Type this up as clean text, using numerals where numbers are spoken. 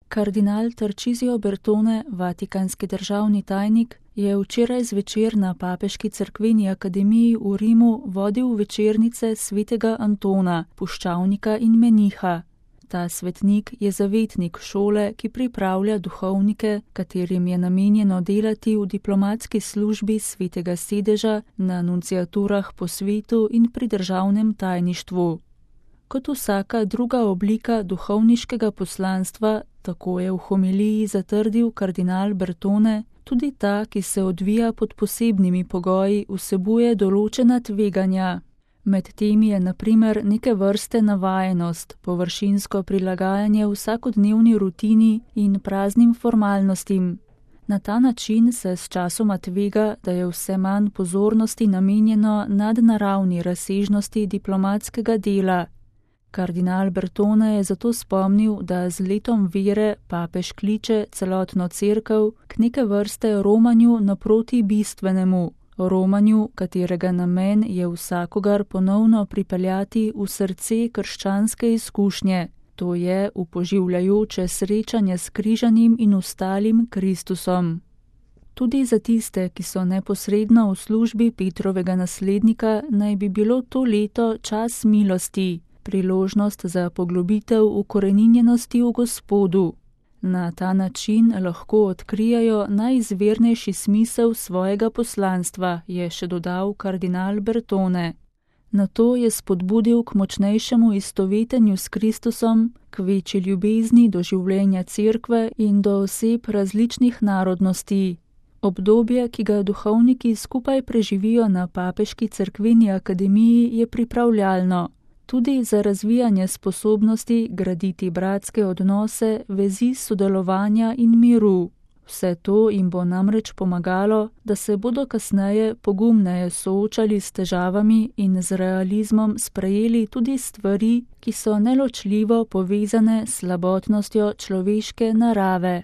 Kardinal Tarcisio Bertone, vatikanski državni tajnik, je včeraj zvečer na Papeški cerkveni akademiji v Rimu vodil večernice svetega Antona, puščavnika in meniha. Ta svetnik je zavetnik šole, ki pripravlja duhovnike, katerim je namenjeno delati v diplomatski službi svetega sedeža, na nunciaturah po svetu in pri državnem tajništvu. Kot vsaka druga oblika duhovniškega poslanstva, tako je v homiliji zatrdil kardinal Bertone, tudi ta, ki se odvija pod posebnimi pogoji, vsebuje določena tveganja. Med temi je na primer neke vrste navajenost, površinsko prilagajanje vsakodnevni rutini in praznim formalnostim. Na ta način se sčasoma tvega, da je vse manj pozornosti namenjeno nadnaravni razsežnosti diplomatskega dela. Kardinal Bertone je zato spomnil, da z letom vere papež kliče celotno cerkev k neke vrste romanju naproti bistvenemu, romanju, katerega namen je vsakogar ponovno pripeljati v srce krščanske izkušnje, to je upoživljajoče srečanje s križanim in ostalim Kristusom. Tudi za tiste, ki so neposredno v službi Petrovega naslednika, naj bi bilo to leto čas milosti, priložnost za poglobitev ukoreninjenosti v Gospodu. Na ta način lahko odkrijajo najizvirnejši smisel svojega poslanstva, je še dodal kardinal Bertone. Nato je spodbudil k močnejšemu istovetenju s Kristusom, k večji ljubezni do življenja cerkve in do oseb različnih narodnosti. Obdobje, ki ga duhovniki skupaj preživijo na Papeški cerkveni akademiji, je pripravljalno. Tudi za razvijanje sposobnosti graditi bratske odnose, vezi sodelovanja in miru. Vse to jim bo namreč pomagalo, da se bodo kasneje pogumneje soočali s težavami in z realizmom sprejeli tudi stvari, ki so neločljivo povezane s slabotnostjo človeške narave.